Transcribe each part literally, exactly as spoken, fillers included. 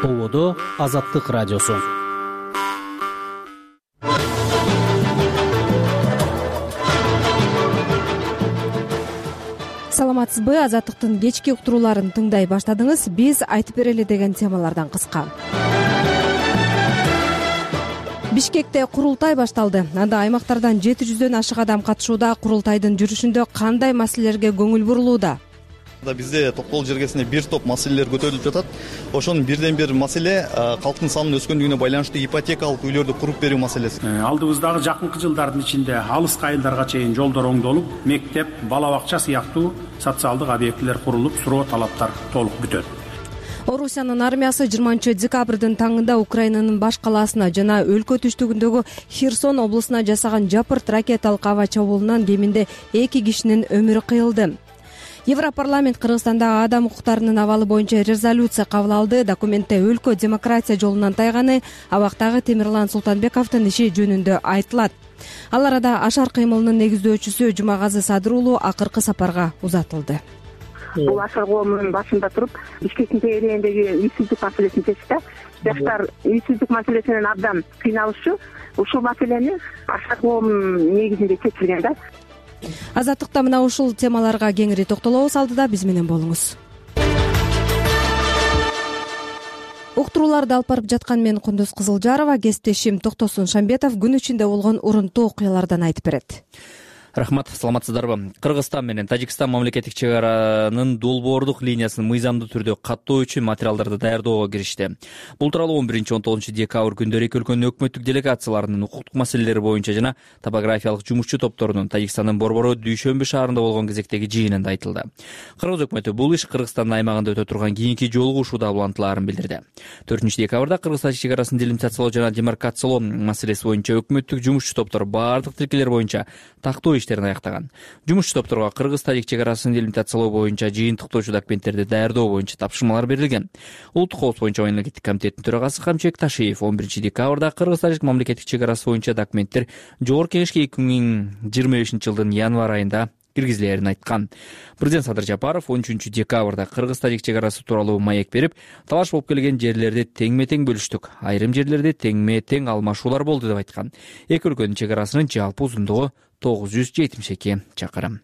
Ободо Азаттык радиосу. Саламатсызбы? Азаттыктын кечки уктурууларын тыңдай баштадыңыз. Биз айтып берели деген темалардан кыска. Бишкекте курултай башталды. Анда аймактардан жети жүздөн ашык адам катышууда. Курултайдын жүрүшүндө кандай маселелерге көңүл бурулууда? Бизде токтогул жергесинде бир топ маселелер көтөрүлүп жатат. Ошонун бирден бир маселе калктын санынын өскөндүгүнө байланыштуу ипотекалык үйлөрдү куруп берүү маселеси. Алдыбыздагы жакынкы жылдардын ичинде алыскы айылдарга чейин жолдор оңдолуп, мектеп, бала бакча сыяктуу социалдык объектилер курулуп, суроо талаптар толук бүтөт. Орусиянын армиясы жыйырманчы декабрдын таңында Украинанын баш калаасына жана өлкө түштүгүндөгү Херсон облусуна жасаган жапырт ракеталык аба чабуулунан кеминде эки кишинин өмүрү кыйылды. Европарламент Кыргызстандагы адам укуктарынын абалы боюнча резолюция кабыл алды. Документте өлкө демократия жолунан тайганы, абактагы Темирлан Султанбековдун иши жөнүндө айтылат. Ал арада ашар кыймылынын негиздөөчүсү Жумагазы Садыр уулу акыркы сапарга узатылды. Бул ашар коомунун башында туруп, Бишкектин тегерегиндеги үйсүздүк маселесин чечти. Жаштар үйсүздүк маселесинен абдан кыйналышчу. Ушул маселени ашар коомунун негизинде чечилген да. Азаттыкта мына ушул темаларга кеңири токтолобуз. Алдыда биз менен болуңуз. Уктурууларды алып барып жаткан мен Кундуз Кызылжарова, кесиптешим Токтосун Шамбетов күн ичинде болгон урунтуу окуялардан айтып берет. Рахмат, саламатсыздарбы? Кыргызстан менен Тажикстан мамлекеттик чек аранын долбоордук линиясын мыйзамдуу түрдө каттоо үчүн материалдарды даярдоого киришти. Бул тууралуу он биринчи он тогузунчу декабрь күндөрү эки өлкөнүн өкмөттүк делегацияларынын укуктук маселелери боюнча жана топографиялык жумушчу топторунун Тажикстандын Борбору Дүйшөмбү шаарында болгон кезектеги жыйынында айтылды. Кыргыз өкмөтү бул иш Кыргызстандын аймагында өтө турган кийинки жолугушууда улантылаарын билдирди. төртүнчү декабрда Кыргыз-Тажик чек арасын делимитациялоо жана демаркациялоо маселеси боюнча өкмөттүк жумушчу топтор баардык тилкелер боюнча тактоо иштерин аяктаган. Жумушчу топторго Кыргыз-Тажик чек арасын делимитациялоо боюнча жыйынтыктоочу документтерди даярдоо боюнча тапшырмалар берилген. Улуттук коопсуздук боюнча мамлекеттик комитеттин төрагасы Камчыбек Ташиев он биринчи декабрда Кыргыз-Тажик мамлекеттик чек арасы боюнча документтер Жогорку кеңешке эки миң жыйырма бешинчи жылдын январь айында киргизилерин айткан. Президент Садыр Жапаров он үчүнчү декабрда Кыргыз-Тажик чек арасы тууралуу маек берип, талаш болуп келген жерлерди теңме-тең бөлүштүк, айрым жерлерде теңме-тең алмашуулар болду деп айткан. Эки өлкөнүн чек арасынын жалпы узундугу тогуз жүз жетимиш эки чакырым.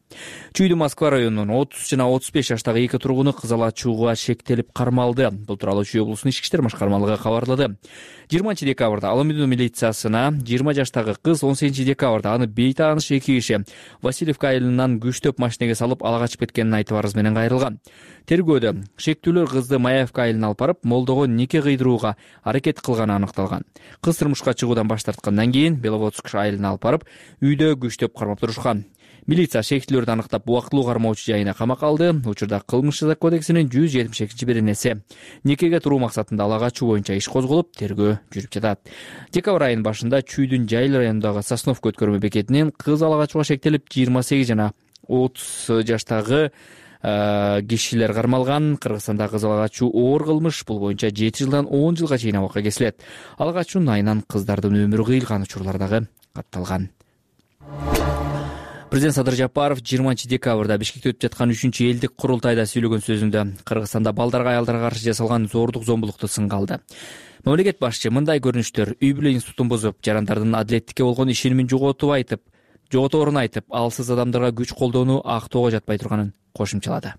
Чүйдү Москва районунун отуз жана отуз беш жаштагы эки тургуну кызыл ачууга шектелип кармалды. Бул тууралуу Чүй облусунун ички иштер башкармалыгы кабарлады. жыйырманчы декабрда Аламедино милициясына жыйырма жаштагы кыз, он сегизинчи декабрда аны бейтааныш эки киши Васильевка айылынан күчтөп машинеге салып ала качып кеткенин айтып арыз менен кайрылган. Тергөөдө шектүүлөр кызды Маевка айылына алып барып, молдого нике кыйдырууга аракет кылганы аныкталган. Кыз турмушка чыгуудан баш тарткандан кийин Беловодск айылына алып барып, үйдө күчтөп кармап турушкан. Милиция шектүүлөрдү аныктап, убактылуу кармоочу жайына камакка алды. Учурда кылмыш кодексинин жүз жетимиш экинчи беренеси никеге туруу максатында ала качуу боюнча иш козголуп, тергөө жүрүп жатат. Декабрь айынын башында Чүйдүн Жайыл районундагы Сосновка өткөрмө бекетинен кыз ала качууга шектелип, жыйырма сегиз жана отуз жаштагы кишилер кармалган. Кыргызстанда кыз ала качуу оор кылмыш. Бул боюнча жети жылдан он жылга чейин абакка кесилет. Ала качуунун айынан кыздардын өмүрү кыйылган учурлар дагы катталган. Президент Садыр Жапаров жыйырманчы декабрда Бишкекте өтүп жаткан үчүнчү элдик курултайда сүйлөгөн сөзүндө Кыргызстанда балдарга, аялдарга каршы жасалган зордук зомбулукту сынга алды. Мамлекет башчы мындай көрүнүштөр үй бүлө институтун бузуп, жарандардын адилеттикке болгон ишенимин жоготуп айтып, жоготорун айтып, алсыз адамдарга күч колдоону актоого жатпай турганын кошумчалады.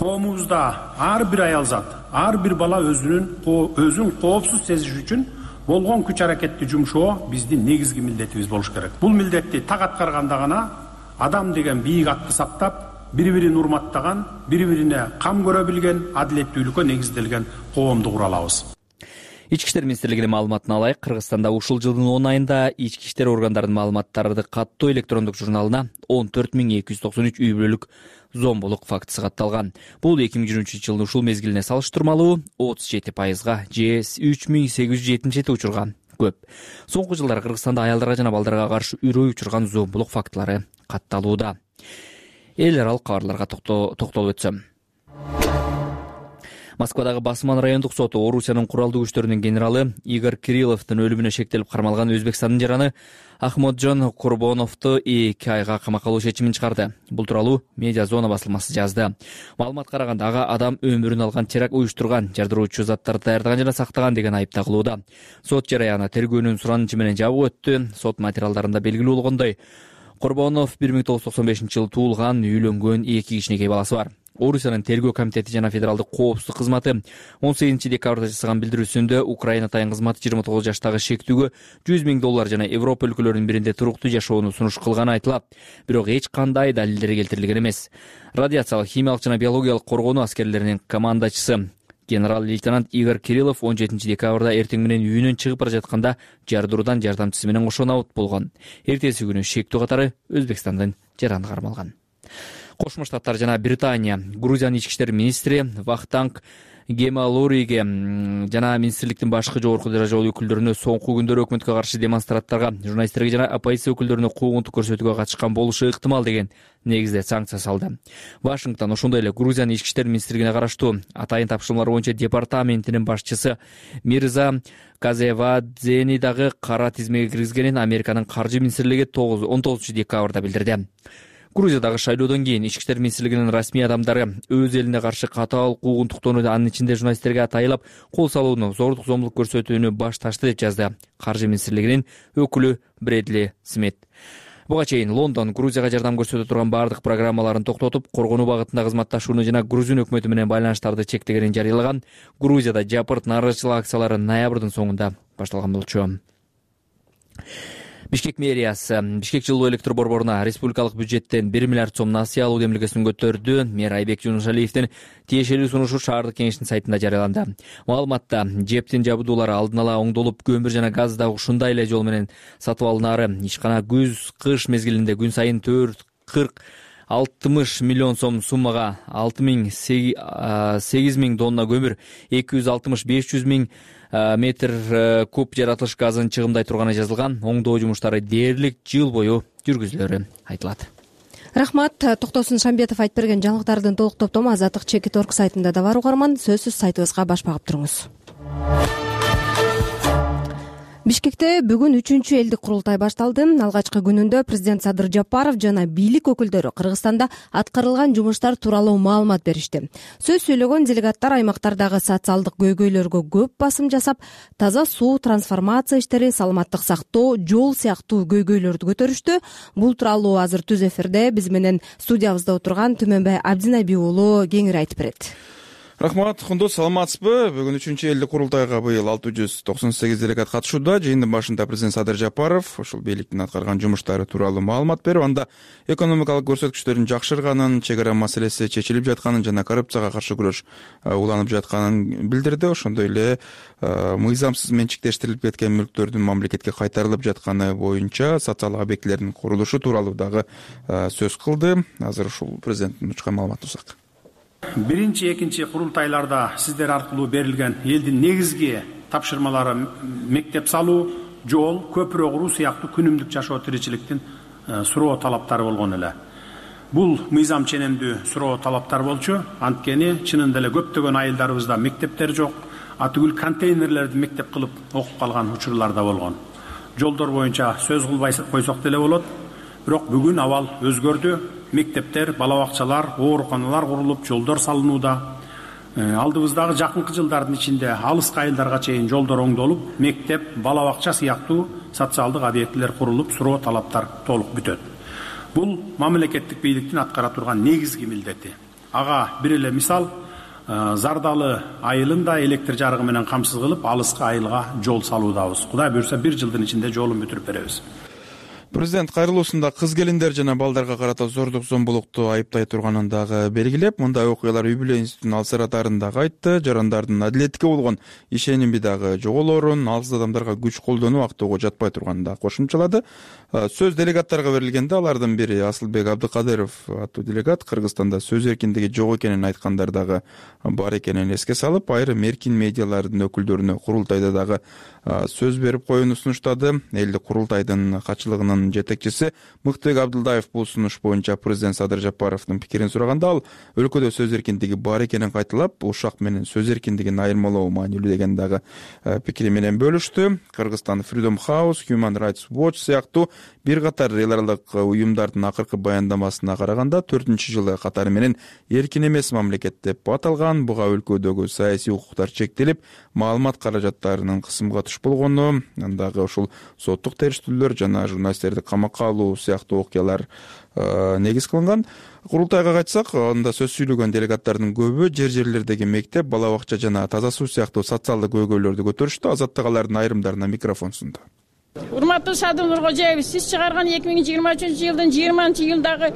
Коомубузда ар бир аялзат, ар бир бала өзүнүн өзүн коопсуз сезиш үчүн болгон күч аракетти жумшоо биздин негизги милдетибиз болуш керек. Бул милдетти так аткарганда гана адам деген бийик атты сактап, бири-бирин урматтаган, бири-бирине кам көрө билген, адилеттүүлүккө негизделген коомду кура алабыз. Ички иштер министрлигинин маалыматына алайык, Кыргызстанда ушул жылдын он айында ички иштер органдарынын маалыматтарды каттоо электрондук журналына он төрт миң эки жүз токсон үч үй бүлөлүк зомбулук фактысы катталган. Бул эки миң жыйырманчы жылдын ушул мезгилине салыштырмалуу отуз жети пайызга же үч миң сегиз жүз жетимиш жети учурга көп. Соңку жылдары Кыргызстанда аялдарга жана балдарга каршы үрөй учурган зомбулук фактылары катталууда. Эл аралык кабарларга токтолуп өтсөм. Москвадагы Басман райондук соту Орусиянын куралдуу күчтөрүнүн генералы Игорь Кирилловдун өлүмүнө шектелип кармалган Өзбекстандын жараны Ахмоджон Курбоновду эки айга камакка алуу чечимин чыгарды. Бул тууралуу Медиа Зона басылмасы жазды. Маалыматка караганда ага адам өмүрүн алган теракт уюштурган, жардыруучу заттарды даярдаган жана сактаган деген айып тагылууда. Сот жараяны тергөөнүн суранычы менен жабык өттү. Сот материалдарында белгилүү болгондой, Курбонов бир миң тогуз жүз токсон бешинчи жылы туулган, үйлөнгөн, эки кичинекей баласы бар. Орусиянын тергөө комитети жана федералдык коопсуздук кызматы он сегизинчи декабрда жасаган билдирүүсүндө Украина тайын кызматы жыйырма тогуз жаштагы шектүүгө жүз миң доллар жана Европа өлкөлөрүнүн биринде туруктуу жашоону сунуш кылганы айтылат. Бирок эч кандай далилдер келтирилген эмес. Радиациялык, химиялык жана биологиялык коргонуу аскерлеринин командачысы генерал-лейтенант Игорь Кириллов он жетинчи декабрда эртең менен үйүнөн чыгып бара жатканда жардыруудан жардамчысы менен кошо набыт болгон. Эртеси күнү шектүү катары Өзбекстандын жараны кармалган. Кошмо Штаттар жана Британия Грузиянын ички иштер министри Вахтанг Гемалориге жана министрликтин башкы жогорку даражалуу өкүлдөрүнө соңку күндөрү өкмөткө каршы демонстранттарга, журналисттерге жана оппозиция өкүлдөрүнө куугунтук көрсөтүүгө катышкан болушу ыктымал деген негизде санкция салды. Вашингтон ошондой эле Грузиянын ички иштер министрлигине караштуу атайын тапшырмалар боюнча департаментинин башчысы Мирза Казевадзени дагы кара тизмеге киргизгенин Американын каржы министрлиги он тогузунчу декабрда билдирди. Грузиядагы шайлоодон кийин ички иштер министрлигинин расмий адамдары өз элине каршы катаал куугунтуктоону, анын ичинде журналисттерге атайылап кол салууну, зордук зомбулук көрсөтүүнү башташты деп жазды каржы министрлигинин өкүлү Бредли Смит. Буга чейин Лондон Грузияга жардам көрсөтө турган бардык программаларын токтотуп, коргонуу багытында кызматташууну жана Грузин өкмөтү менен байланыштарды чектегенин жарыялаган. Грузияда жапырт нааразычылык акциялары ноябрдын соңунда башталган болчу. Бишкек мэриясы Бишкек жылуу электр борборуна республикалык бюджеттен бир миллиард сом насыя алуу демилгесин көтөрдү. Мэр Айбек Жунушалиевдин тиешелүү сунушу шаардык кеңештин сайтында жарыяланды. Маалыматта жептин жабдуулары алдын ала оңдолуп, көмүр жана газ дагы ушундай эле жол менен сатып алынары, ишкана күз, кыш мезгилинде күн сайын төрт кырк алтымыш миллион сом суммага алты миң сегиз миң тонна көмүр, эки жүз алтымыш беш жүз миң метр куб жаратылыш газын чыгымдай турганы жазылган. Оңдоо жумуштары дээрлик жыл бою жүргүзүлөрү айтылат. Рахмат. Токтосун Шамбетов айтып берген жаңылыктардын толук топтому Азаттык чекит орг сайтында да бар угарман. Сөзсүз сайтыбызга баш багып туруңуз. Бишкекте бүгүн үчүнчү элдик курултай башталды. Алгачкы күнүндө президент Садыр Жапаров жана бийлик өкүлдөрү Кыргызстанда аткарылган жумуштар тууралуу маалымат беришти. Сөз сүйлөгөн делегаттар аймактардагы социалдык көйгөйлөргө көп басым жасап, таза суу, трансформация иштери, саламаттык сактоо, жол сыяктуу көйгөйлөрдү көтөрүштү. Бул тууралуу азыр түз эфирде биз менен студиябызда отурган Түмөнбай Абдинабий уулу кеңири айтып берет. Рахмат, Кундуз, саламатсызбы? Бүгүн үчүнчү элдик курултайга быйыл алты жүз токсон сегиз делегат катышууда. Жыйындын башында президент Садыр Жапаров ушул бийликтин аткарган жумуштары тууралуу маалымат берип, анда экономикалык көрсөткүчтөрдүн жакшырганын, чек ара маселеси чечилип жатканын жана коррупцияга каршы күрөш уланып жатканын билдирди. Ошондой эле мыйзамсыз менчиктештирилип кеткен мүлктөрдүн мамлекетке кайтарылып жатканы боюнча социалдык объектилердин курулушу тууралуу дагы сөз кылды. Азыр ушул президенттин учкан маалыматын узак. Биринчи, экинчи курултайларда сиздер аркылуу берилген элдин негизги тапшырмалары мектеп салуу, жол, көпүрө куруу сыяктуу күнүмдүк жашоо тиричиликтин суроо талаптары болгон эле. Бул мыйзам ченемдүү суроо талаптар болчу. Анткени чынында эле көптөгөн айылдарыбызда мектептер жок, атүгүл контейнерлерди мектеп кылып окуп калган учурлар да болгон. Жолдор боюнча сөз кылбай койсок деле болот. Бирок бүгүн абал өзгөрдү. Мектептер, бала бакчалар, ооруканалар курулуп, жолдор салынууда. Алдыбыздагы жакынкы жылдардын ичинде алыс айылдарга чейин жолдор оңдолуп, мектеп, бала бакча сыяктуу социалдык объектилер курулуп, суроо талаптар толук бүтөт. Бул мамлекеттик бийликтин аткара турган негизги милдети. Ага бир эле мисал, Зардалы айылында электр жарыгы менен камсыз кылып, алыскы айылга жол салуудабыз. Кудай буйрса бир жылдын ичинде жолун бүтүрүп беребиз. Президент кайрылуусунда кыз келиндер жана балдарга карата зордук зомбулукту айыптай турганын дагы белгилеп, мындай окуялар үй бүлө институтунун алсыратарын дагы айтты. Жарандардын адилетке болгон ишеними дагы жоголорун, алсыз адамдарга күч колдонуу актоого жатпай турганын дагы кошумчалады. Сөз делегаттарга берилгенде алардын бири Асылбек Абдыкадыров аттуу делегат Кыргызстанда сөз эркиндиги жок экенин айткандар дагы бар экенин эске салып, айрым эркин медиалардын өкүлдөрүнө курултайда дагы сөз берип коюуну сунуштады. Элдик курултайдын качылыгынын катышкан жетекчиси Мыктыбек Абдылдаев бул сунуш боюнча президент Садыр Жапаровдун пикирин сураганда ал өлкөдө сөз эркиндиги бар экенин кайталап, ушак менен сөз эркиндигин айырмалоо маанилүү деген дагы пикири менен бөлүштү. Кыргызстан Freedom House, Human Rights Watch сыяктуу бир катар эл аралык уюмдардын акыркы баяндамасына караганда төртүнчү жылы катары менен эркин эмес мамлекет деп аталган. Буга өлкөдөгү саясий укуктар чектелип, маалымат каражаттарынын кысымга туш болгону, андагы ушул соттук териштирүүлөр жана журналисттерди камакка алуу сыяктуу окуялар негиз кылынган. Курултайга кайтсак, анда сөз сүйлөгөн делегаттардын көбү жер жерлердеги мектеп, бала бакча жана таза суу сыяктуу социалдык көйгөйлөрдү көтөрүштү. Азаттык алардын айрымдарына микрофон сунду. Урматтуу Садыр Нуркожоевич, сиз чыгарган эки миң жыйырма үчүнчү жылдын жыйырманчы июлдагы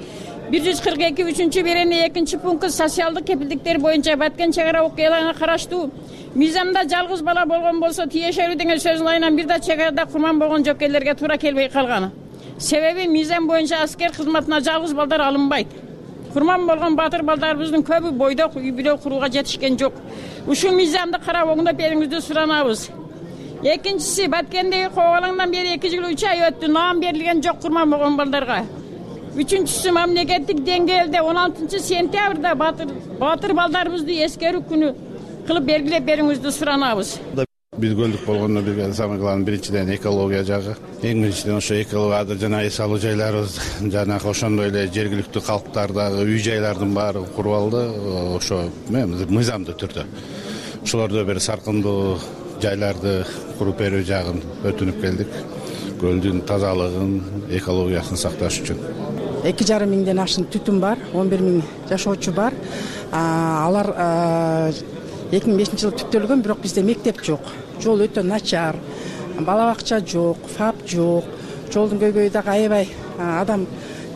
бир жүз кырк эки үчүнчү берене экинчи пункт социалдык кепилдиктер боюнча Баткен чек ара окуяларына караштуу мыйзамда жалгыз бала болгон болсо тиешелүү деген сөздүн айынан бир да чек арада курман болгон жоокерлерге туура келбей калган. Себеби мыйзам боюнча аскер кызматына жалгыз балдар алынбайт. Курман болгон батыр балдарыбыздын көбү бойдок үй бүлө курууга жетишкен жок. Ушул мыйзамды карап оңдоп бериңизди суранабыз. Экинчиси, Баткендеги кобалаңдан бери эки жыл үч ай өттү, наам берилген жок курман болгон балдарга. Үчүнчүсү, мамлекеттик деңгээлде он алтынчы сентябрда батыр батыр балдарыбызды эскерүү күнү кылып белгилеп бериңизди суранабыз. Биз көлдүк болгондо бир самый главный биринчиден экология жагы. Эң биринчиден ошо экология жана эс алуу жайларыбыз, жана ошондой эле жергиликтүү калктардагы үй жайлардын баары куруп алды. Ошо мыйзамдуу түрдө. Ошолордо бир саркындуу жайларды куруп берүү жагын өтүнүп келдик. Көлдүн тазалыгын, экологиясын сакташ үчүн. эки жарым миңден ашын түтүн бар, он бир миң жашоочу бар. Алар эки миң бешинчи жылы түптөлгөн, бирок бизде мектеп жок. Жол өтө начар, бала бакча жок, фап жок. Жолдун көйгөйү дагы аябай адам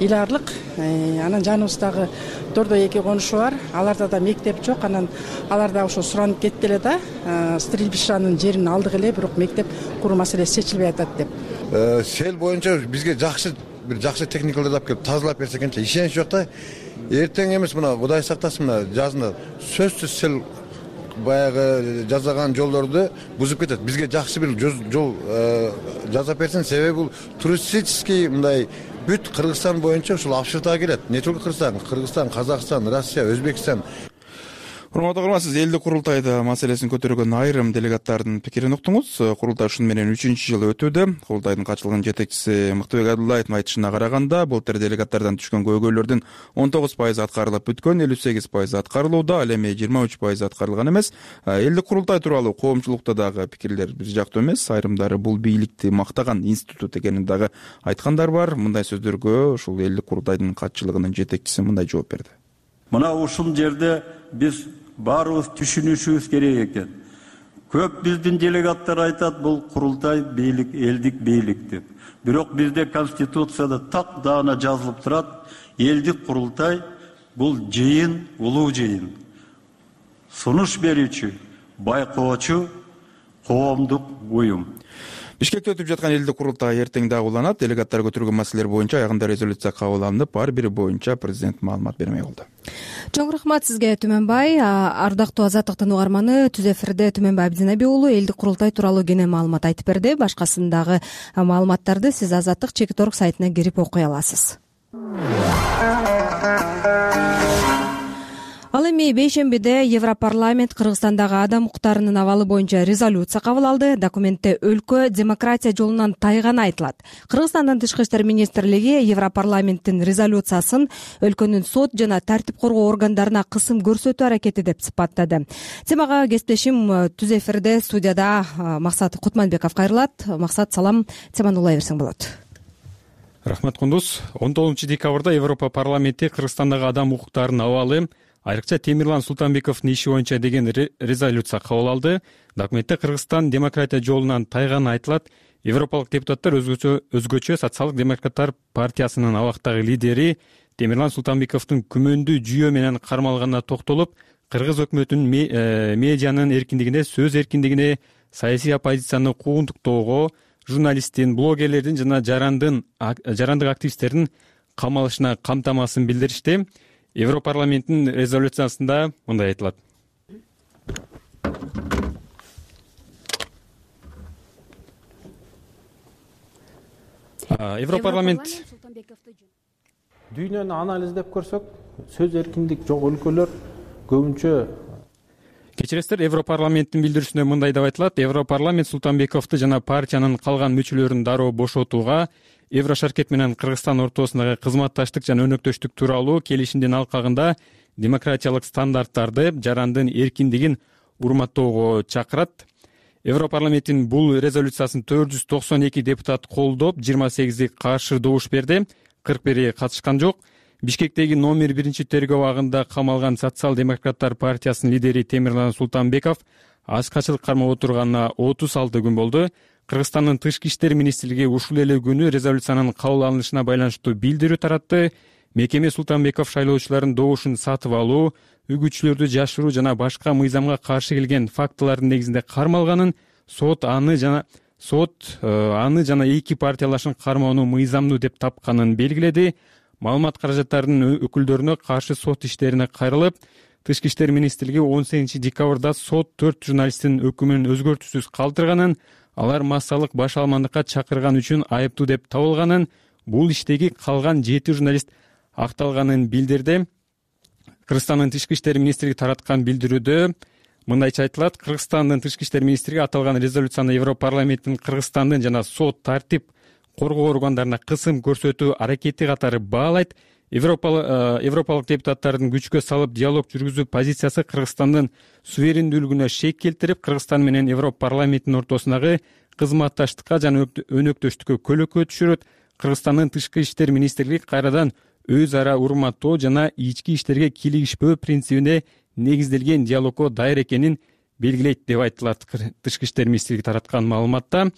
ыйлаарлык. Анан жаныбыздагы Дордой эки конушу бар. Аларда да мектеп жок. Анан алар да ошо суранып кетти эле да. Стрельбишанын жерин алдык эле, бирок мектеп куруу маселеси чечилбей атат деп. Сел боюнча бизге жакшы бир жакшы техникаларды алып келип тазалап берсе экенчи, ишенич жок да. Эртең эмес, мына Кудай сактасын, мына жазында сөзсүз сел баягы жасаган жолдорду бузуп кетет. Бизге жакшы бир жол жасап берсин, себеби бул туристический мындай бүт Кыргызстан боюнча ушул Абшыртага келет. Не только Кыргызстан, Кыргызстан, Казакстан, Россия, Өзбекстан. Урматтуу көрөрмандар, элдик курултайда маселесин көтөргөн айрым делегаттардын пикирин уктуңуз. Курултай ушун менен үчүнчү жылы өтүүдө. Курултайдын катышылган жетекчиси Мыктыбек Абдылдаевдин айтышына караганда, былтыр делегаттардан түшкөн көйгөйлөрдүн он тогуз пайызы аткарылып бүткөн, элүү сегиз пайызы аткарылууда, ал эми жыйырма үч пайызы аткарылган эмес. Элдик курултай тууралуу коомчулукта дагы пикирлер бир жактуу эмес. Айрымдары бул бийликти мактаган институт экенин дагы айткандар бар. Мындай сөздөргө ушул элдик курултайдын катчылыгынын жетекчиси мындай жооп берди. Мына ушул жерде биз баарыбыз түшүнүшүбүз керек экен. Көп биздин делегаттар айтат, бул курултай бийлик, элдик бийлик деп. Бирок бизде конституцияда так даана жазылып турат, элдик курултай бул жыйын, улуу жыйын. Сунуш берүүчү, байкоочу коомдук уюм. Бишкекте өтүп жаткан элдик курултай эртең дагы уланат. Делегаттар көтөргөн маселелер боюнча аягында резолюция кабыл алынып, ар бири боюнча президент маалымат бермек болду. Чоң рахмат сизге, Түмөнбай. Ардактуу Азаттыктын угарманы Түз эфирде Түмөнбай Абдинаби уулу элдик курултай тууралуу кене маалымат айтып берди. Башкасындагы маалыматтарды сиз Азаттык чекит точка орг сайтына кирип окуй аласыз. Ал эми бейшембиде Европарламент Кыргызстандагы адам укуктарынын абалы боюнча резолюция кабыл алды. Документте өлкө демократия жолунан тайганы айтылат. Кыргызстандын тышкы иштер министрлиги Европарламенттин резолюциясын өлкөнүн сот жана тартип коргоо органдарына кысым көрсөтүү аракети деп сыпаттады. Темага кесиптешим Түз эфирде студияда Максат Кутманбеков кайрылат. Максат, салам, теманы улай берсең болот. Рахмат, Кундуз. он тогузунчу декабрда Европа парламенти Кыргызстандагы адам укуктарынын абалы, айрыкча Темирлан Султанбековдун иши боюнча деген резолюция кабыл алды. Документте Кыргызстан демократия жолунан тайганы айтылат. Европалык депутаттар өзгөчө өзгөчө социалдык демократтар партиясынын абактагы лидери Темирлан Султанбековдун күмөндүү жүйө менен кармалганына токтолуп, кыргыз өкмөтүнүн медианын эркиндигине, сөз эркиндигине, саясий оппозицияны куугунтуктоого, журналисттин, блогерлердин жана жарандын жарандык активисттердин камалышына камтамасын билдиришти. Европарламенттин резолюциясында мындай айтылат. Европарламент дүйнөнү анализдеп көрсөк, сөз эркиндик жок өлкөлөр көбүнчө. Кечиресиздер, Европарламенттин билдирүүсүндө мындай деп айтылат: Европарламент Султанбековду жана партиянын калган мүчөлөрүн дароо бошотууга, Еврошаркет менен Кыргызстан ортосундагы кызматташтык жана өнөктөштүк тууралуу келишимдин алкагында демократиялык стандарттарды, жарандын эркиндигин урматтоого чакырат. Европарламенттин бул резолюциясын төрт жүз токсон эки депутат колдоп, жыйырма сегизи каршы добуш берди, кырк бири катышкан жок. Бишкектеги номер биринчи тергөө абагында камалган Социал-демократтар партиясынын лидери Темирлан Султанбеков аз качылык кармап отурганына отуз алты күн болду. Кыргызстандын тышкы иштер министрлиги ушул эле күнү резолюциянын кабыл алынышына байланыштуу билдирүү таратты. Мекеме Султанбеков шайлоочулардын добушун сатып алуу, үгүтчүлөрдү жашыруу жана башка мыйзамга каршы келген фактылардын негизинде кармалганын, сот аны жана сот аны жана эки партиялашын кармоону мыйзамдуу деп тапканын белгиледи. Маалымат каражаттарынын өкүлдөрүнө каршы сот иштерине кайрылып, Тышкы иштер министрлиги он сегизинчи декабрда сот төрт журналисттин өкүмүн өзгөртүүсүз калтырганын, алар массалык баш алмандыкка чакырган үчүн айыптуу деп табылганын, бул иштеги калган жети журналист акталганын билдирди. Кыргызстандын тышкы иштер министрлиги тараткан билдирүүдө мындайча айтылат: Кыргызстандын тышкы иштер министрлиги аталган резолюцияны Европарламенттин Кыргызстандын жана сот тартип коргоо органдарына кысым көрсөтүү аракети катары баалайт. Европалык депутаттардын күчкө салып диалог жүргүзүү позициясы Кыргызстандын суверендүүлүгүнө шек келтирип, Кыргызстан менен Европарламенттин ортосундагы кызматташтыкка жана өнөктөштүккө көлөкө түшүрөт. Кыргызстандын тышкы иштер министрлиги кайрадан өз ара урматтоо жана ички иштерге кийлигишпөө принцибине негизделген диалогго даяр экенин белгилейт деп айтылат тышкы иштер министрлиги тараткан маалыматта.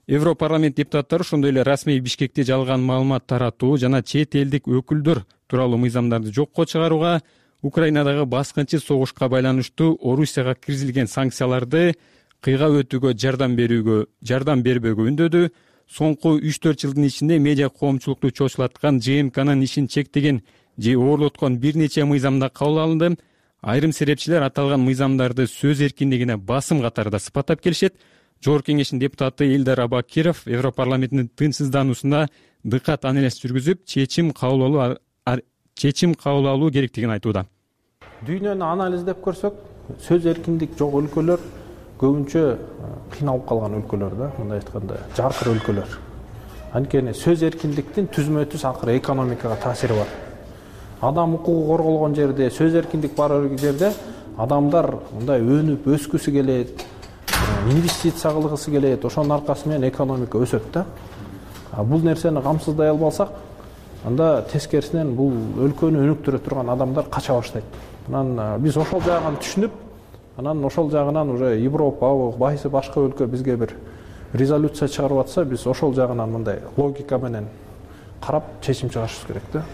Европарламент депутаттары ошондой эле расмий Бишкекте жалган маалымат таратуу жана чет элдик өкүлдөр тууралуу мыйзамдарды жокко чыгарууга, Украинадагы баскынчы согушка байланыштуу Орусияга киргизилген санкцияларды кыйгап өтүүгө жардам берүүгө жардам бербөөгө үндөдү. Соңку үч төрт жылдын ичинде медиа коомчулукту чочулаткан ЖМКнын ишин чектеген же оорлоткон бир нече мыйзамда кабыл алынды. Айрым серепчилер аталган мыйзамдарды сөз эркиндигине басым катарында сыпаттап келишет. Жогорку кеңештин депутаты Элдар Абакиров Европарламенттин тынчсыздануусуна дыкат анализ жүргүзүп, чечим кабыл алуу чечим кабыл алуу керектигин айтууда. Дүйнөнү анализдеп көрсөк, сөз эркиндик жок өлкөлөр көбүнчө кыйналып калган өлкөлөр да, мындай айтканда, жаркыр өлкөлөр. Анткени сөз эркиндиктин түзмө түз акыры экономикага таасири бар. Адам укугу корголгон жерде, сөз эркиндик бар жерде адамдар мындай өнүп өскүсү келет, инвестиция кылгысы келет, ошонун аркасы менен экономика өсөт да. Бул нерсени камсыздай албасак, анда тескерисинен бул өлкөнү өнүктүрө турган адамдар кача баштайт. Анан биз ошол жагын түшүнүп, анан ошол жагынан уже Европа, байсы башка өлкө бизге бир резолюция чыгарып атса, биз ошол жагынан мындай логика менен карап чечим чыгарышыбыз керек да.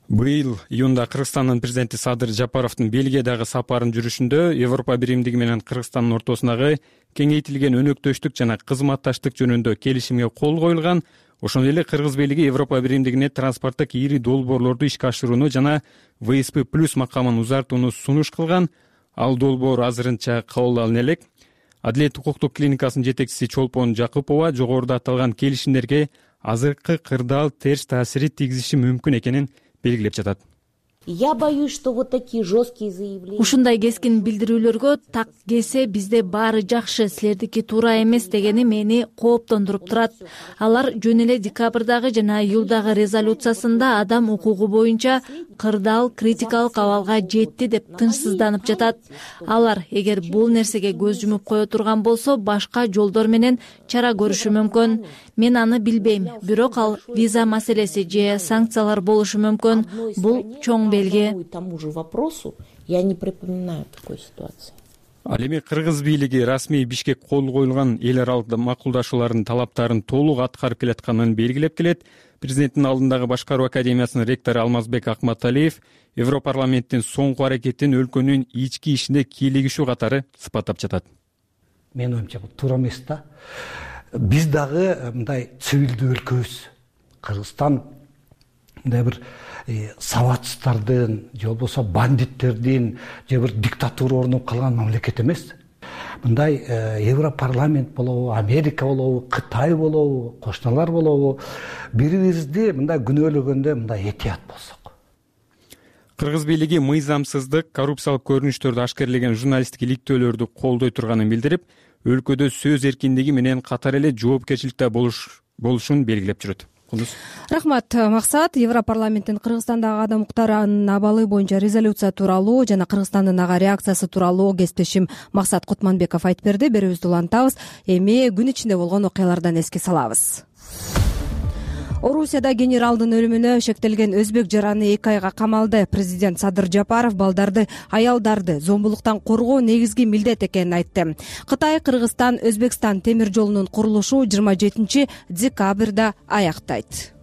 Быйыл июнда Кыргызстандын президенти Садыр Жапаровдун Бельгиядагы сапарын жүрүшүндө Европа биримдиги менен Кыргызстандын ортосундагы кеңейтилген өнөктөштүк жана кызматташтык жөнүндө келишимге кол коюлган. Ошондой эле Кыргыз бийлиги Европа биримдигине транспорттук ири долбоорлорду ишке ашырууну жана вэ эс пэ плюс макамын узартууну сунуш кылган. Ал долбоор азырынча кабыл алына элек. Адилет укуктук клиникасынын жетекчиси Чолпон Жакупова жогоруда аталган келишимдерге азыркы кырдаал терс таасири тийгизиши мүмкүн экенин белгилеп жатат. Я боюсь, что вот такие жесткие заявления. Ушундай кескин билдирүүлөргө так келсе бизде баары жакшы, силердики туура эмес дегени мени кооптондуруп турат. Алар жөн эле декабрдагы жана июлдагы резолюциясында адам укугу боюнча кырдаал критикалык абалга жетти деп тынчсызданып жатат. Алар эгер бул нерсеге көз жумуп кое турган болсо, башка жолдор менен чара көрүшү мүмкүн. Мен аны билбейм, бирок ал виза маселеси же санкциялар болушу мүмкүн. Бул чоң белги. Тому же вопросу я не припоминаю такой ситуации. Ал эми Кыргыз бийлиги расмий Бишкек кол коюлган эл аралык макулдашуулардын талаптарын толук аткарып келатканын белгилеп келет. Президенттин алдындагы башкаруу академиясынын ректору Алмазбек Акматалиев Европарламенттин соңку аракетин өлкөнүн ички ишине кийлигишүү катары сыпаттап жатат. Менин оюмча бул туура эмес да. Биз дагы мындай цивилдүү өлкөбүз. Кыргызстан мындай бир сабатсыздардын же болбосо бандиттердин же бир диктатура орноп калган мамлекет эмес. мындай Европарламент болобу, Америка болобу, Кытай болобу, кошуналар болобу, бири бирибизди мындай күнөөлөгөндө мындай этият болсок. Кыргыз бийлиги мыйзамсыздык, коррупциялык көрүнүштөрдү ашкерлеген журналисттик иликтөөлөрдү колдой турганын билдирип, өлкөдө сөз эркиндиги менен катар эле жоопкерчиликте болушун белгилеп жүрөт. Рахмат, Максат. Европарламенттин Кыргызстандагы адам укуктарынын абалы боюнча резолюция тууралуу жана Кыргызстандын ага реакциясы тууралуу кесиптешим Максат Кутманбеков айтып берди. Берүүбүздү улантабыз. Эми күн ичинде болгон окуялардан эске салабыз. Орусияда генералдын өлүмүнө шектелген өзбек жараны эки айга камалды. Президент Садыр Жапаров балдарды, аялдарды зомбулуктан коргоо негизги милдет экенин айтты. Кытай, Кыргызстан, Өзбекстан темир жолунун курулушу жыйырма жетинчи декабрда аяктайт.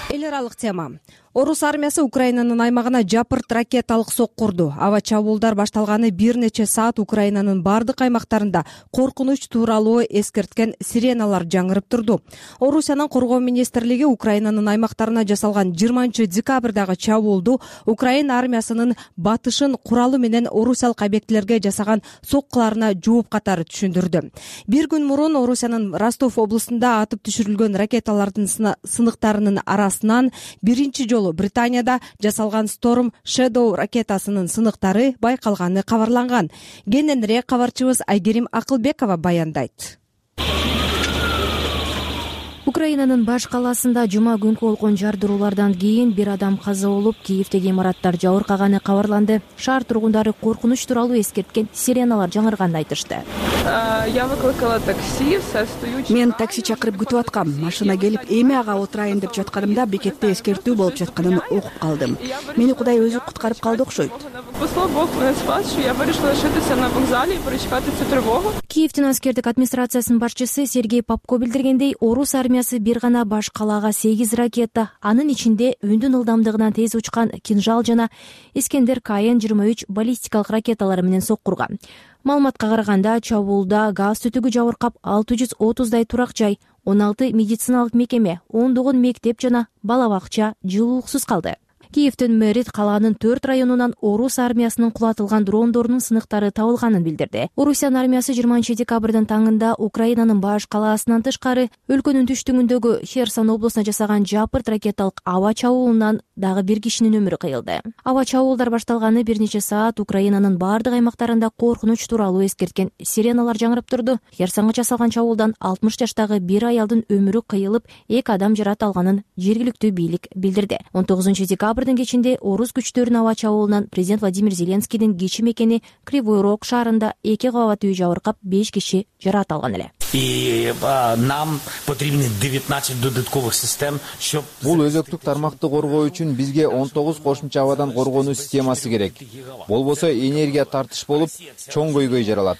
Эл аралык тема. Орус армиясы Украинанын аймагына жапырт ракеталык сок курду. Аба чабуулдар башталганы бир нече саат Украинанын бардык аймактарында коркунуч тууралуу эскерткен сиреналар жаңырып турду. Орусиянын коргоо министрлиги Украинанын аймактарына жасалган жыйырманчы декабрдагы чабуулду Украина армиясынын батышын куралы менен орусиялык объектилерге жасаган соккуларына жооп катары түшүндүрдү. Бир күн мурун Орусиянын Ростов облусунда атып түшүрүлгөн ракеталардын сыныктарынын арасынан биринчи жолу Британияда жасалган Storm Shadow ракетасынын сыныктары байкалганы кабарланган. Кененирээк кабарчыбыз Айгерим Акылбекова баяндайт. Украинанын баш калаасында жума күнкү болгон жардыруулардан кийин бир адам каза болуп, Киевдеги имараттар жабыркаганы кабарланды. Шаар тургундары коркунуч тууралуу эскерткен сиреналар жаңырганын айтышты. Мен такси чакырып күтүп аткам. Машина келип, эми ага отурайын деп жатканымда бекетте эскертүү болуп жатканын окуп калдым. Мени Кудай өзү куткарып калды окшойт. Киевдин аскердик администрациясынын башчысы Сергей Попко билдиргендей, орус армиясы бир гана баш калаага сегиз ракета, анын ичинде үндүн ылдамдыгынан тез учкан Кинжал жана Искендер КН жыйырма үч баллистикалык ракеталары менен соккурган. Маалыматка караганда, чабуулда газ түтүгү жабыркап алты жүз отуздай турак жай, он алты медициналык мекеме, ондогон мектеп жана бала бакча жылуулуксуз калды. Киевдин мэри калаанын төрт районунан орус армиясынын кулатылган дрондорунун сыныктары табылганын билдирди. Орусиянын армиясы жыйырманчы декабрдын таңында Украинанын баш калаасынан тышкары өлкөнүн түштүгүндөгү Херсон облусуна жасаган жапырт ракеталык аба чабуулунан дагы бир кишинин өмүрү кыйылды. Аба чабуулдар башталганы бир нече саат Украинанын бардык аймактарында коркунуч тууралуу эскерткен сиреналар жаңырып турду. Херсонго жасалган чабуулдан алтымыш жаштагы бир аялдын өмүрү кыйылып, эки адам жарат алганын жергиликтүү бийлик билдирди. он тогузунчу декабрдын кечинде орус күчтөрүнүн аба чабуулунан президент Владимир Зеленскийдин кичи мекени Кривой Рог шаарында эки кабат үй жабыркап, беш киши жарат алган эле. И нам потребны девятнадцать додатковых систем, щоб бул өзөктүк тармакты коргоо үчүн бизге он тогуз кошумча абадан коргонуу системасы керек. Болбосо энергия тартыш болуп, чоң көйгөй жаралат.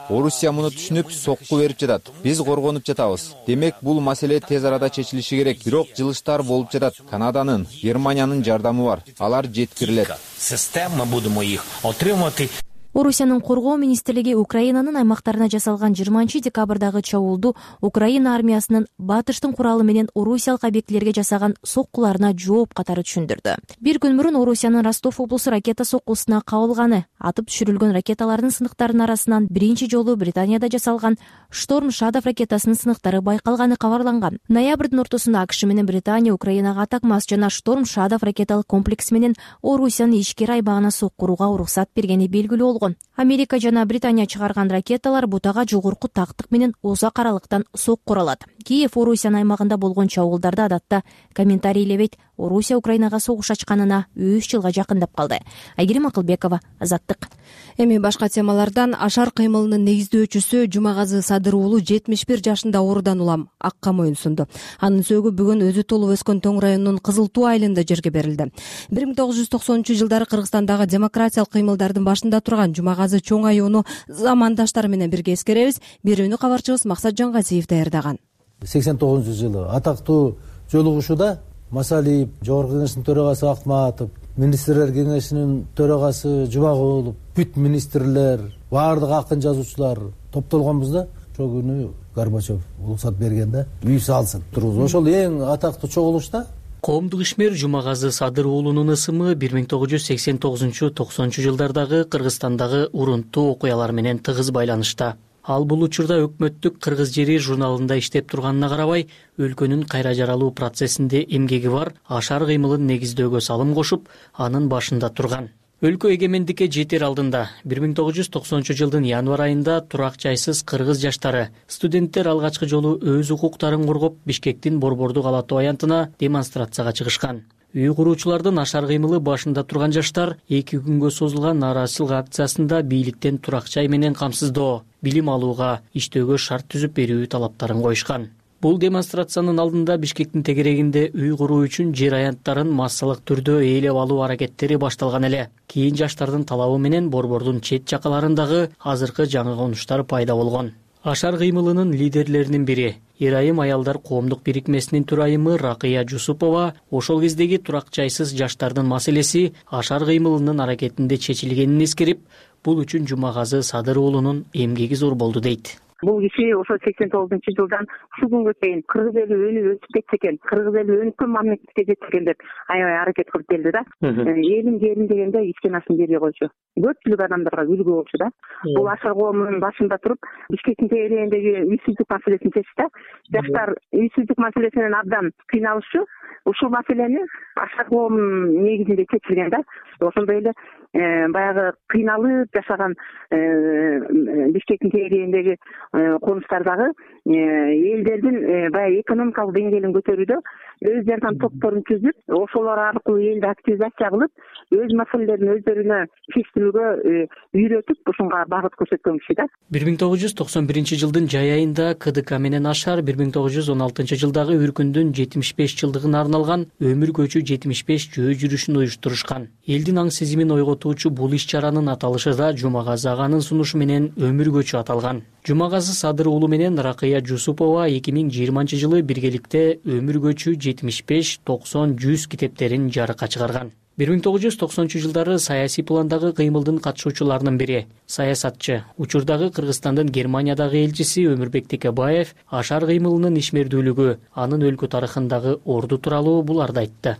Орусия муну түшүнүп, сокку берип жатат. Биз коргонуп жатабыз. Демек, бул маселе тез арада чечилиши керек. Бирок жылыштар болуп жатат. Канаданын, Германиянын жардамы бар. Алар жеткирилет. Система будемо их отримати. Орусиянын коргоо министрлиги Украинанын аймактарына жасалган жыйырманчы декабрдагы чабуулду Украина армиясынын батыштын куралы менен орусиялык объектилерге жасаган соккуларына жооп катары түшүндүрдү. Бир күн мурун Орусиянын Ростов облусу ракета соккусуна кабылганы, атып түшүрүлгөн ракеталардын сыныктарынын арасынан биринчи жолу Британияда жасалган Storm Shadow ракетасынын сыныктары байкалганы кабарланган. Ноябрдын ортосунда АКШ менен Британия Украинага Атакмас жана Storm Shadow ракеталык комплекси менен Орусиянын ички айбагына соккурууга уруксат бергени белгилүү. Америка жана Британия чыгарган ракеталар бутага жогорку тактык менен узак аралыктан соккур алат. Киев Орусиянын аймагында болгон чабуулдарда адатта комментарийлебейт. Орусия Украинага согуш ачканына үч жылга жакындап калды. Айгерим Акылбекова, Азаттык. Эми башка темалардан. Ашар кыймылынын негиздөөчүсү Жумагазы Садыр уулу жетимиш бир жашында оорудан улам акка моюнсунду. Анын сөөгү бүгүн өзү толуп өскөн Тоң районунун Кызыл Туу айылында жерге берилди. бир миң тогуз жүз токсонунчу жылдары Кыргызстандагы демократиялык кыймылдардын башында турган Жумагазы чоң аюуну замандаштары менен бирге эскеребиз. Берүүнү кабарчыбыз Максат Жангазиев даярдаган. сексен тогузунчу жылы атактуу жолугушууда Масалиев, Жогорку Кеңештин төрагасы Акматов, министрлер кеңешинин төрагасы Жумагулов, бүт министрлер, баардык акын жазуучулар топтолгонбуз да. Ошол күнү Горбачев уруксат бергенде үй салсын турбуз. Ошол эң атактуу чогулушта Коомдук ишмер Жумагазы Садыр уулунун ысымы бир миң тогуз жүз сексен тогузунчу токсонунчу жылдардагы Кыргызстандагы урунттуу окуялар менен тыгыз байланышта. Ал бул учурда өкмөттүк Кыргыз жери журналында иштеп турганына карабай, өлкөнүн кайра жаралуу процессинде эмгеги бар Ашар кыймылын негиздөөгө салым кошуп, анын башында турган. Өлкө эгемендикке жетер алдында бир миң тогуз жүз токсонунчу жылдын январь айында турак жайсыз кыргыз жаштары, студенттер алгачкы жолу өз укуктарын коргоп, Бишкектин Борбордук Ала-Тоо аянтына демонстрацияга чыгышкан. Үй куруучулардын Ашар кыймылы башында турган жаштар эки күнгө созулган нааразычылык акциясында бийликтен турак жай менен камсыздоо, билим алууга, иштөөгө шарт түзүп берүү талаптарын коюшкан. Бул демонстрациянын алдында Бишкектин тегерегинде үй куруу үчүн жер аянттарын массалык түрдө ээлеп алуу аракеттери башталган эле. Кийин жаштардын талабы менен борбордун чет жакаларындагы азыркы жаңы конуштар пайда болгон. Ашар кыймылынын лидерлеринин бири, Эр-айым аялдар коомдук бирикмесинин төрайымы Ракыя Жусупова ошол кездеги турак жайсыз жаштардын маселеси Ашар кыймылынын аракетинде чечилгенин эскерип, бул үчүн Жумагазы Садыр уулунун эмгеги зор болду дейт. Бул киши ошо сексен тогузунчу жылдан ушул күнгө чейин кыргыз эли өнүп өсүп кетсе экен, кыргыз эли өнүккөн мамлекетке жетсе экен деп аябай аракет кылып келди да. Элим жерим дегенде ичкен ашын бербей койчу. Көпчүлүк адамдарга үлгү болчу да. Бул Ашар коомунун башында туруп, Бишкектин тегерегиндеги үйсүздүк маселесин чечти. Жаштар үйсүздүк маселесинен абдан кыйналышчу. Ушул маселени Ашар коомунун негизинде чечилген да. Ошондой эле баягы кыйналып жашаган Бишкектин тегерегиндеги конуштардагы элдердин баягы экономикалык деңгээлин көтөрүүдө өз жардам топторун түзүп, ошолор аркылуу элди активизация кылып, өз маселелерин өздөрүнө чечтирүүгө үйрөтүп, ушунга багыт көрсөткөн киши да. бир миң тогуз жүз токсон биринчи жылдын жай айында Ка Ды Ка менен Ашар бир миң тогуз жүз он алтынчы жылдагы үркүндүн жетимиш беш жылдыгына арналган өмүр көчү жетимиш беш жөө жүрүшүн уюштурушкан. Элдин аң сезимин ойготуучу бул иш-чаранын аталышы да Жумагазы аганын сунушу менен өмүр көчү аталган. Жумагазы Садыр уулу менен Ракыя Жусупова эки миң жыйырманчы жылы биргеликте өмүр көчү жетимиш беш, токсон, жүз китептерин жарыкка чыгарган. бир миң тогуз жүз токсонунчу жылдары саясий пландагы кыймылдын катышуучуларынын бири, саясатчы, учурдагы Кыргызстандын Германиядагы элчиси Өмүрбек Текебаев Ашар кыймылынын ишмердүүлүгү, анын өлкө тарыхындагы орду тууралуу буларды айтты.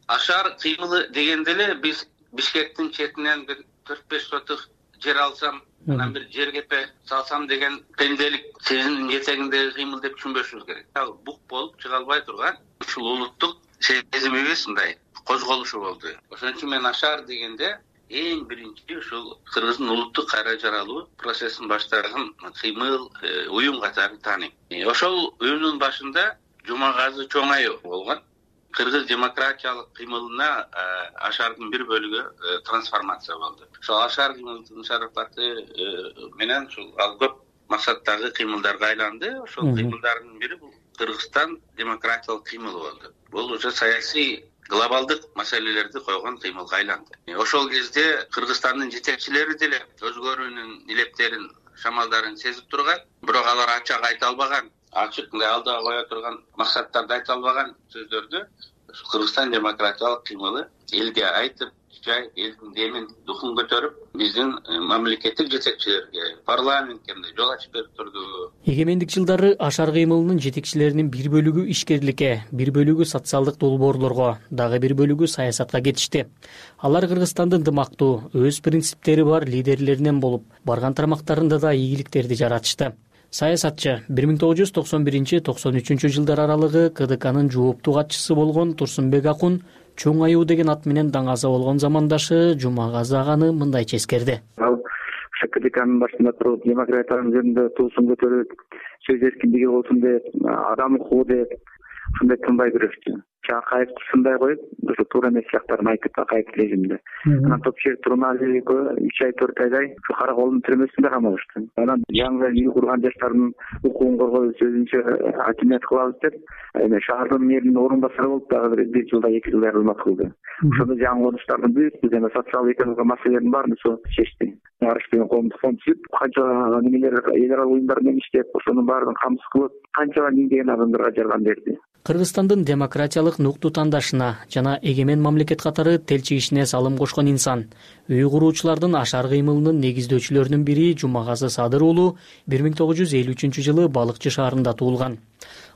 Ашар кыймылы дегенде эле биз Бишкектин четинен бир төрт беш сотук жер алсам, анан бир жер кепе салсам деген пенделик сезимдин жетегиндеги кыймыл деп түшүнбөшүбүз керек. Ал бук болуп чыга албай турган ушул улуттук сезимибиз мындай козголушу болду. Ошон үчүн мен Ашар дегенде эң биринчи ушул Кыргыздын улуттук кайра жаралуу процессин баштаган кыймыл, уюм катары тааныйм. Ошол уюмдун башында Жумагазы Чоңаев болгон. Кыргыз демократиялык кыймылына Ашардын бир бөлүгү трансформация болду. Ошол Ашар кыймылынын шарапаты менен ушул ал көп максаттагы кыймылдарга айланды. Ошол кыймылдардын бири бул Кыргызстан демократиялык кыймылы болду. Бул уже саясий глобалдык маселелерди койгон кыймылга айланды. Ошол кезде Кыргызстандын жетекчилери деле өзгөрүүнүн илептерин, шамалдарын сезип турган, бирок алар ачык айта албаган, ачык мындай алдыга кое турган максаттарды айта албаган сөздөрдү Кыргызстан демократиялык кыймылы элге айтып, жай элдин демин, духун көтөрүп, биздин мамлекеттик жетекчилерге, парламентке жол ачып берип турду. Эгемендик жылдары Ашар кыймылынын жетекчилеринин бир бөлүгү ишкерликке, бир бөлүгү социалдык долбоорлорго, дагы бир бөлүгү саясатка кетишти. Алар Кыргызстандын дымактуу, өз принциптери бар лидерлеринен болуп, барган тармактарында да ийгиликтерди жаратышты. Саясатчы бир миң тогуз жүз токсон биринчи — токсон үчүнчү жылдар аралыгы Ка Ды Канын жооптуу катчысы болгон Турсунбек Акун Чоң аюу деген ат менен даңаза болгон замандашы Жумагазы аганы мындай ческерди. Ал Ка Ды Канын башында туруп, демократиянын жөнүндө туусун көтөрүп, сөз эркиндиги болсун деп, адам укугу деп, ушундай тынбай күрөштү. Акаевди сындай коюп, ошо туура эмес сыяктарын айтып, Акаев режимде. Анан Топчиев Турмалиевго үч ай төрт айдай ушу кара колдун түрмөсүндө камалышты. Анан жаңы үй курган жаштардын укугун коргоюп, сөзүнчө акимият кылабыз деп, эми шаардын мэринин орун басары болуп, дагы бир жылда эки жылдай кызмат кылды. Ошондо жаңы конуштардын бүт жана социалдык экономикалык маселелердин баарын ошо чечти. Арыш деген коомдук фонд түзүп, канча немелер, эл аралык уюмдар менен иштеп, ошонун баарын камсыз кылып, канча миңдеген адамдарга жардам берди. Кыргызстандын демократиялык нукту тандашына жана эгемен мамлекет катары тел чигишине салым кошкон инсан, үй куруучулардын Ашар кыймылынын негиздөөчүлөрүнүн бири Жумагазы Садыр уулу бир миң тогуз жүз элүү үчүнчү жылы Балыкчы шаарында туулган.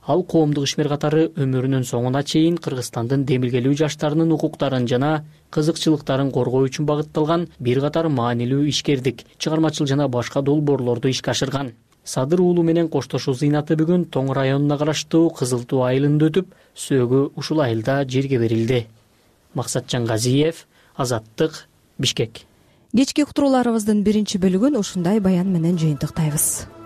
Ал коомдук ишмер катары өмүрүнүн соңуна чейин Кыргызстандын демилгелүү жаштарынын укуктарын жана кызыкчылыктарын коргоо үчүн багытталган бир катар маанилүү ишкердик, чыгармачыл жана башка долбоорлорду ишке ашырган. Садыр уулу менен коштошуу зыйнаты бүгүн Тоң районуна караштуу Кызыл Туу айылында өтүп, сөөгү ушул айылда жерге берилди. Максатжан Газиев, Азаттык, Бишкек. Кечки уктурууларыбыздын биринчи бөлүгүн ушундай баян менен жыйынтыктайбыз.